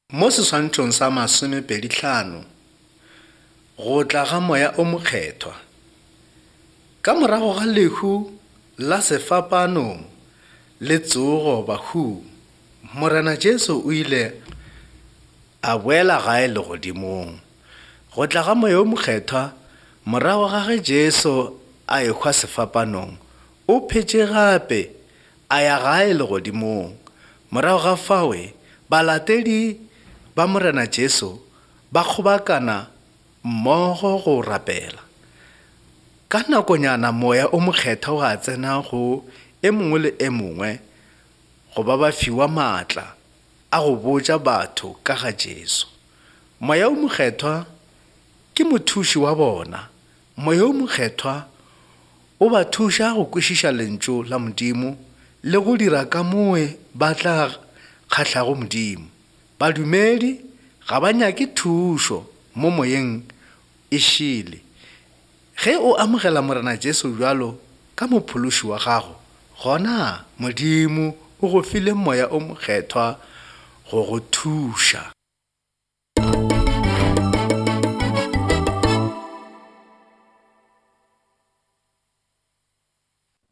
Mo seswantšhong sa masomepedihlano, go tla ga Moya o Mokgethwa. Ka morago ga lehu la sefapanong le tsogo bahung, Morena Jesu o ile a boela gae legodimong. Go tla ga Moya o Mokgethwa morago ga ge Jesu a ehwa sefapanong, o phetše gape a ya gae legodimong. Morago ga fawe, balatedi ba Morena Jesu ba kgobakana mmogo go rapela. Ka nakonyana Moya o Mokgethwa wa tsena go e mongwe le e mongwe go ba ba fiwa maatla a go botša batho ka ga Jesu. Moya o Mokgethwa ke mothuši wa bona. Moya o Mokgethwa o ba thuša go kwešiša Lentšu la Modimo le go dira kamoe ba tla kgahlago Modimo. Badumedi ga ba nyake thušo mo moyeng e šele. Ge o amogela Morena Jesu bjalo ka Mophološi wa gago, gona Modimo o go file Moya o Mokgethwa go go thuša.